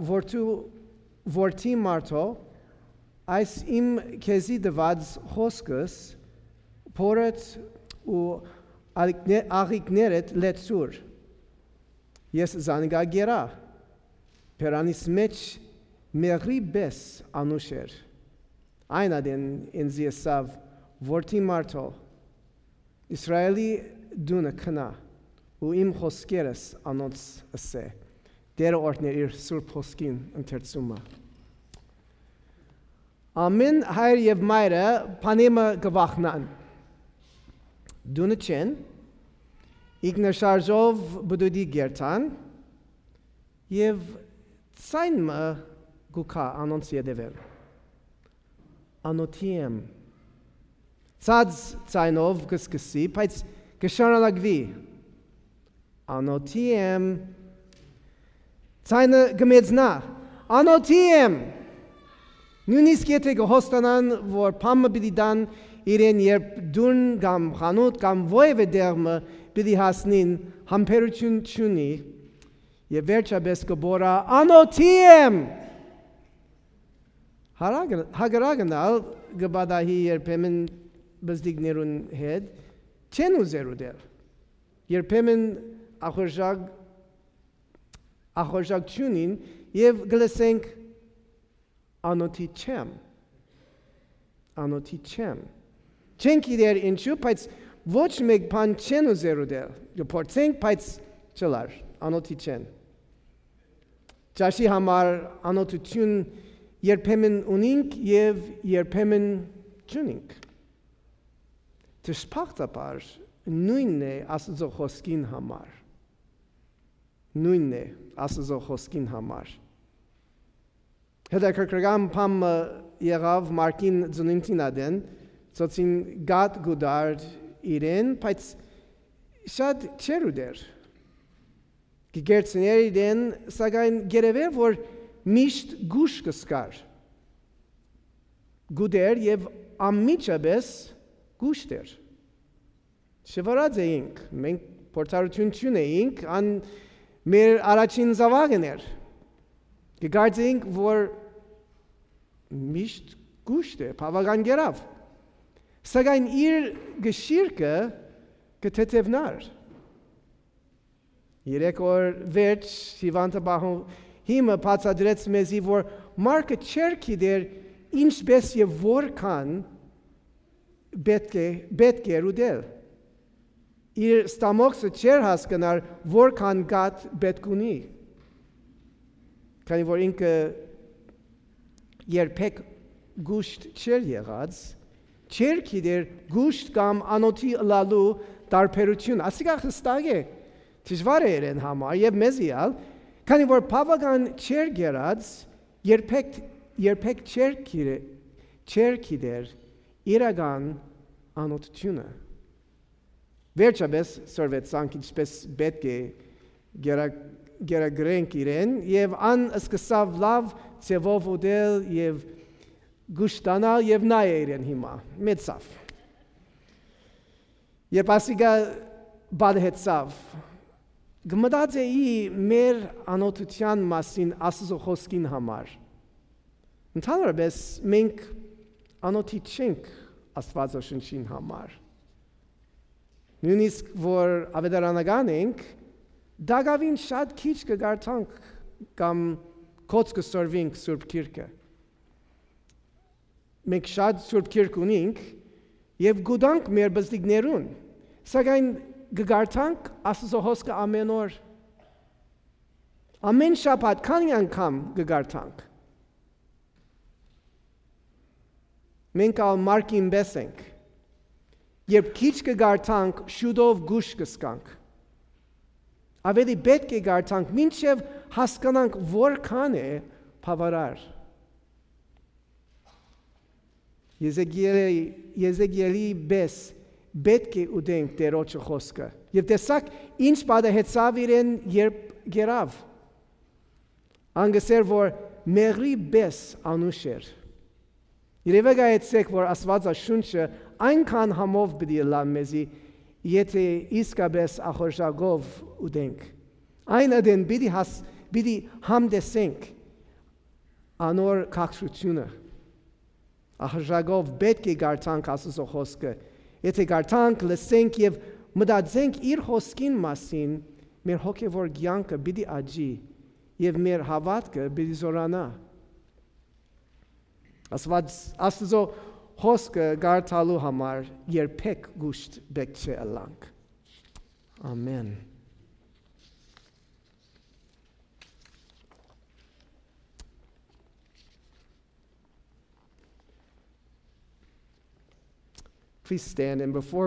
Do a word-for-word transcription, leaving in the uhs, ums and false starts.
Որդու, որդի մարդոյ, այս իմ քեզի տուած խօսքս փորդ ու աղիքնե-, աղիքներդ լեցուր։ Ես զանիկա կերայ, բերանիս մէջ մեղրի պէս անուշ էր։ Այն ատեն ինծի ըսաւ. «Որդի մարդոյ, Իսրայէլի տունը գնա ու իմ խօսքերս անոնց ըսէ»։ Տէրը օրհնէ իր սուրբ խօսքին ընթերցումը։ Ամէն հայր եւ մայրը բանէ մը կը վախնան։ Տունը չեն, ինքնաշարժով պտուտի կերթան եւ ձայն մը կու գայ անոնց ետեւէն. «Անօթի եմ»։ Ցած ձայնով կը սկսի, բայց կը շարունակուի. «Անօթի եմ»։ Ձայնը կը մեծնայ. «Անօթի եմ»։ Նոյնիսկ եթէ կը հոստանան, որ բան մը պիտի տան իրեն, երբ տուն կամ խանութ կամ որեւէ տեղ մը պիտի հասնին, համբերութիւն չունի եւ վերջապէս կը պոռայ. «Անօթի եմ»։ Հակառակն ալ կը պատահի երբեմն պզտիկներուն հետ, չեն ուզեր ուտել։ Երբեմն ախորժակ, ախորժակ չունին եւ կը լսենք. «Անօթի չեմ»։ «Անօթի չեմ»։ Չեն գիտեր ինչու, բայց ոչ մէկ բան չեն ուզեր ուտել։ Կը փորձենք, բայց չըլլար, անօթի չեն։ Ճաշի համար անօթութիւն երբեմն ունինք եւ երբեմն չունինք։ Դժբախտաբար նոյնն է Աստուծոյ խօսքին համար։ Նոյնն է Աստուծոյ խօսքին համար։ Հետաքրքրական բան մը եղաւ Մարկին ծնունդին ատեն, ծոցին կաթ կու տար իրեն, բայց շատ չէր ուտեր։ Կը կերցնէր իրեն, սակայն կ'երեւէր, որ միշտ կուշ կը զգար։ Կ'ուտէր եւ անմիջապէս կուշտ էր։ Շվարած էինք, մենք փորձառութիւն չունէինք, ան մեր առաջին զաւակն էր։ Կը կարծէինք, որ միշտ կուշտ է, բաւական կերաւ։ Սակայն իր կշիռքը կը թեթեւնար։ Երեք օր վերջ հիւանդը պահու հիմը բացատրեց մեզի, որ Մարկը չէր գիտեր ինչպէս եւ որքան պէտք է, պէտք էր ուտել։ Իր ստամոքսը չէր հասկնար որքան կաթ պէտք ունի, քանի որ ինքը երբեք կուշտ չէր եղած, չէր գիտեր կուշտ կամ անօթի ըլլալու տարբերութիւն։ Ասիկա խստակ է, դժուար է իրեն համար եւ մեզի ալ, քանի որ բաւական չէր գերած, երբեք, երբեք չէր գիրե-, չէր գիտեր իրական անօթութիւնը։ Վերջապէս սորվեցանք ինչպէս պէտք է գերա-, գերագրենք իրեն, եւ ան սկսաւ լաւ ձեւով ուտել եւ կուշտանալ եւ նայ է իրեն հիմա, մեծաւ։ Երբ ասիկա պատահեցաւ, կը մտածէի մեր անօթութեան մասին Աստուծոյ խօսքին համար։ Ընդհանրապէս մենք անօթի չենք Աստուածաշունչին համար։ Նոյնիսկ որ աւետարանական ենք, տակաւին շատ քիչ կը կարդանք կամ կոչ կը սորվինք Սուրբ Գիրքը։ Մենք շատ Սուրբ Գիրք ունինք եւ կ'ուտանք մեր պզտիկներուն, սակայն կը կարդանք Աստուծոյ խօսքը ամէն օր։ Ամէն շաբաթ քանի՞ անգամ կը կարդանք։ Մենք ալ Մարկին պէս ենք։ Երբ քիչ կը կարդանք, շուտով կուշ կը զգանք։ Աւելի պէտք է կարդանք, մինչեւ հասկնանք որքան է բաւարար։ Եզեկիէլի, Եզեկիէլի պէս պէտք է ուտենք Տիրոջը խօսքը։ Եւ տեսաք, ինչ պատահեցաւ իրեն, երբ գերաւ։ Ան կ'ըսէր, որ մեղրի պէս անուշ էր։ Երեւակայեցէք, որ Աստուածաշունչը այնքան համով պիտի ըլլայ մեզի, եթէ իսկապէս ախորժակով ուտենք։ Այն ատեն պիտի հաս-, պիտի համտեսենք, անոր քաջութիւնը։ Ահժակով պէտք է կարդանք Աստուծոյ խօսքը։ Եթէ կարդանք, լսենք եւ մտածենք իր խօսքին մասին, մեր հոգեվոր կեանքը պիտի աճի եւ մեր հաւատքը պիտի զօրանայ։ Աստուած, Աստուծոյ խօսքը կարդալու համար երբեք կուշտ պէտք չէ ըլլանք։ Ամեն։ Please stand, and before